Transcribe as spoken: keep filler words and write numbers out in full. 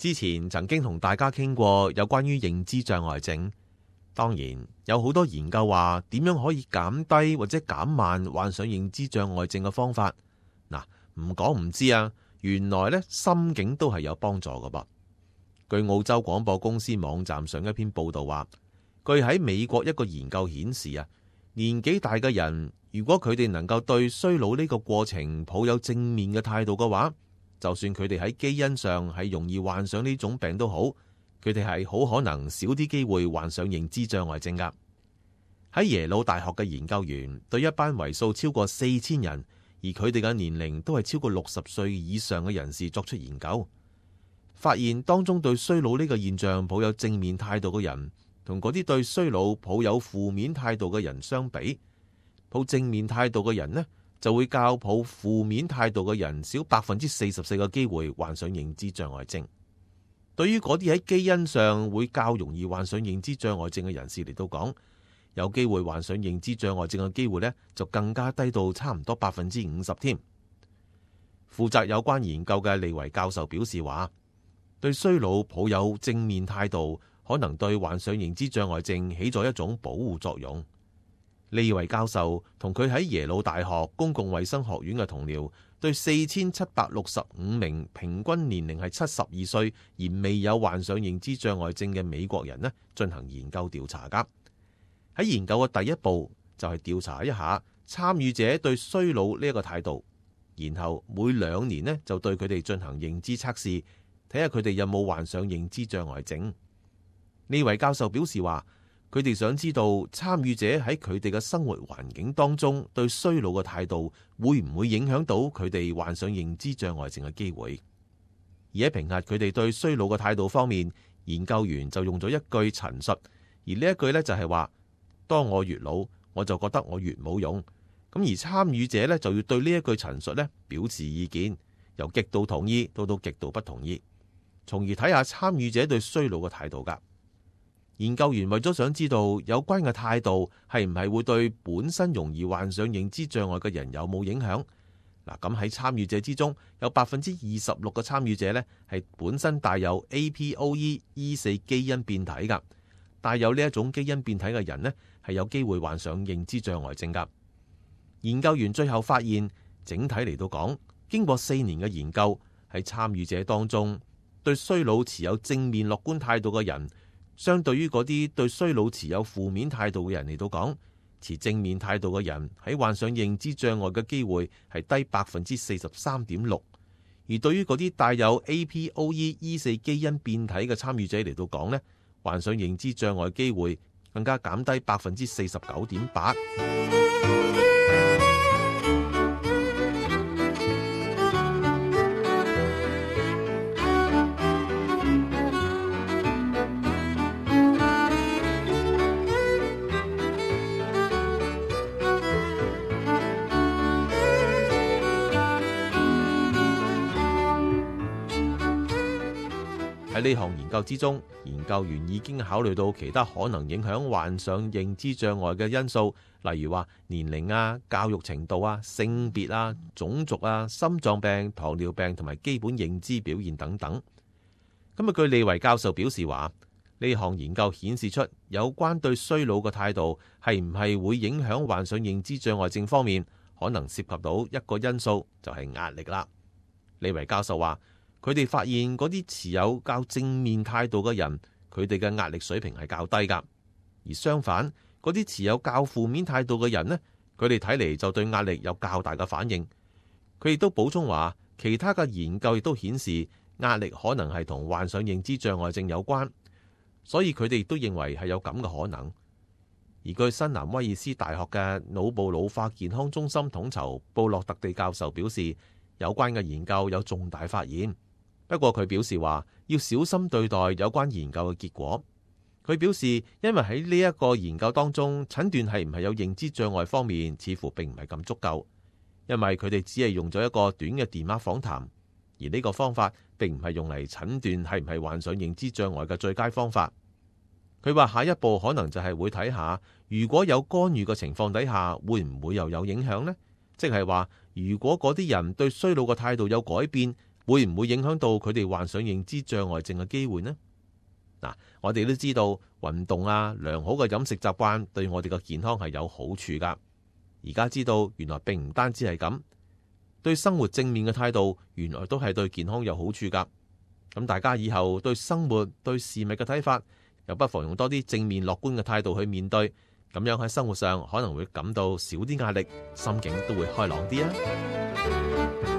之前曾經同大家傾過有關於認知障礙症，當然有好多研究話點樣可以減低或者減慢患上認知障礙症嘅方法。嗱，唔講唔知啊，原來咧心境都係有幫助㗎噃。據澳洲廣播公司網站上一篇報道話，據喺美國一個研究顯示啊，年紀大嘅人如果佢哋能夠對衰老呢個過程抱有正面嘅態度嘅話，就算佢哋喺基因上係容易患上呢種病都好，佢哋係好可能少啲機會患上認知障礙症㗎。喺耶魯大學嘅研究員對一班為數超過四千人，而佢哋嘅年齡都係超過六十歲以上嘅人士作出研究，發現當中對衰老呢個現象抱有正面態度嘅人，同嗰啲對衰老抱有負面態度嘅人相比，抱正面態度嘅人呢，就會較抱負面態度嘅人少百分之四十四個機會患上認知障礙症。對於嗰啲喺基因上會較容易患上認知障礙症嘅人士嚟到講，有機會患上認知障礙症嘅機會呢，就更加低到差唔多百分之五十添。負責有關研究嘅利維教授表示話，對衰老抱有正面態度，可能對患上認知障礙症起咗一種保護作用。利維教授同佢喺耶魯大學公共衛生學院嘅同僚，對四千七百六十五名平均年齡係七十二歲而未有患上認知障礙症嘅美國人呢，進行研究調查㗎。喺研究嘅第一步就係調查一下參與者對衰老呢一個態度，然後每兩年呢就對佢哋進行認知測試，睇下佢哋有冇患上認知障礙症。呢位教授表示話，佢哋想知道參與者喺佢哋嘅生活環境當中對衰老嘅態度會唔會影響到佢哋患上認知障礙症嘅機會。而喺評核佢哋對衰老嘅態度方面，研究員就用咗一句陳述，而呢一句呢就係話，當我越老，我就覺得我越冇用。咁而參與者呢就要對呢一句陳述呢表示意見，由極度同意到到極度不同意，從而睇下參與者對衰老嘅態度㗎。研究員為咗想知道有關嘅態度係唔係會對本身容易患上認知障礙嘅人有冇影響？嗱，咁喺參與者之中，有百分之二十六嘅參與者呢係本身帶有 A P O E E 四基因變體㗎，帶有呢一種基因變體嘅人呢係有機會患上認知障礙症㗎。研究員最後發現，整體嚟到講，經過四年嘅研究，喺參與者當中對衰老持有正面樂觀態度嘅人，相對於嗰啲對衰老持有負面態度嘅人嚟到講，持正面態度嘅人喺患上認知障礙嘅機會係低百分之四十三點六，而對於嗰啲帶有 A P O E E 四基因變體嘅參與者嚟到講呢，患上認知障礙機會更加減低百分之四十九點八。喺呢項研究之中，研究員已經考慮到其他可能影響患上認知障礙嘅因素，例如話年齡啊、教育程度啊、性別啊、種族啊、心臟病、糖尿病同埋基本認知表現等等。咁啊，據利維教授表示話，呢項研究顯示出有關對衰老嘅態度係唔係會影響患上認知障礙症方面，可能涉及到一個因素，就係壓力啦。利維教授話，佢哋發現嗰啲持有較正面態度嘅人，佢哋嘅壓力水平係較低㗎；而相反，嗰啲持有較負面態度嘅人呢，佢哋睇嚟就對壓力有較大嘅反應。佢亦都補充話，其他嘅研究亦都顯示壓力可能係同患上認知障礙症有關，所以佢哋亦都認為係有咁嘅可能。而據新南威爾斯大學嘅腦部老化健康中心統籌布洛特地教授表示，有關嘅研究有重大發現。不過佢表示話要小心對待有關研究嘅結果。佢表示，因為喺呢一個研究當中，診斷係唔係有認知障礙方面似乎並唔係咁足夠，因為佢哋只係用咗一個短嘅電話訪談，而呢個方法並唔係用嚟診斷係唔係患上認知障礙嘅最佳方法。佢話下一步可能就係會睇下，如果有干預嘅情況底下，會唔會又有影響呢？即係話，如果嗰啲人對衰老嘅態度有改變，會唔會影響到佢哋患上認知障礙症嘅機會呢？嗱，我哋都知道運動啊、良好嘅飲食習慣對我哋嘅健康係有好處噶。而家知道原來並唔單止係咁，對生活正面嘅態度原來都係對健康有好處噶。咁大家以後對生活、對事物嘅睇法，又不妨用多啲正面樂觀嘅態度去面對，咁樣喺生活上可能會感到少啲壓力，心境都會開朗啲啊！